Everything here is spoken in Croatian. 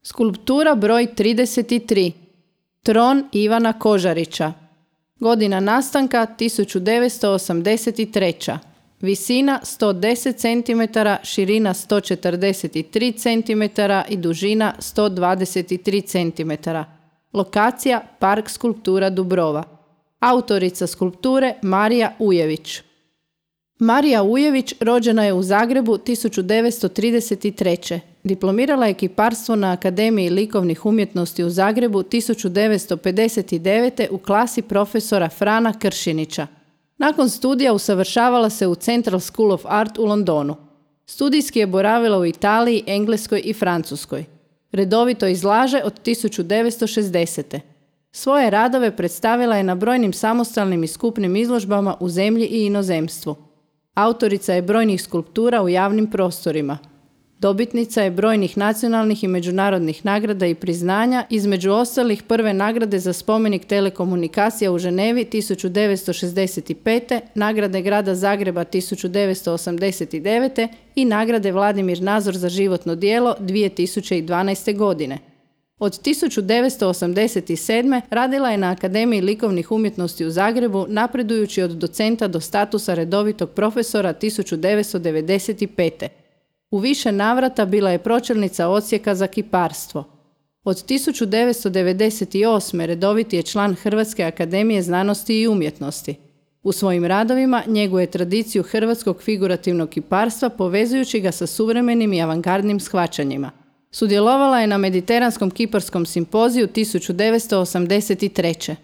Skulptura broj 33. Tron Ivana Kožarića. Godina nastanka 1983. Visina 110 cm, širina 143 cm i dužina 123 cm. Lokacija Park skulptura Dubrova. Autorica skulpture Marija Ujević. Marija Ujević rođena je u Zagrebu 1933. Diplomirala je kiparstvo na Akademiji likovnih umjetnosti u Zagrebu 1959. u klasi profesora Frana Kršinića. Nakon studija usavršavala se u Central School of Art u Londonu. Studijski je boravila u Italiji, Engleskoj i Francuskoj. Redovito izlaže od 1960. Svoje radove predstavila je na brojnim samostalnim i skupnim izložbama u zemlji i inozemstvu. Autorica je brojnih skulptura u javnim prostorima. Dobitnica je brojnih nacionalnih i međunarodnih nagrada i priznanja, između ostalih prve nagrade za spomenik telekomunikacija u Ženevi 1965. nagrade Grada Zagreba 1989. i nagrade Vladimir Nazor za životno djelo 2012. godine. Od 1987. radila je na Akademiji likovnih umjetnosti u Zagrebu, napredujući od docenta do statusa redovitog profesora 1995. U više navrata bila je pročelnica odsjeka za kiparstvo. Od 1998. redoviti je član Hrvatske akademije znanosti i umjetnosti. U svojim radovima njeguje tradiciju hrvatskog figurativnog kiparstva povezujući ga sa suvremenim i avangardnim shvaćanjima. Sudjelovala je na Mediteranskom kiparskom simpoziju 1983.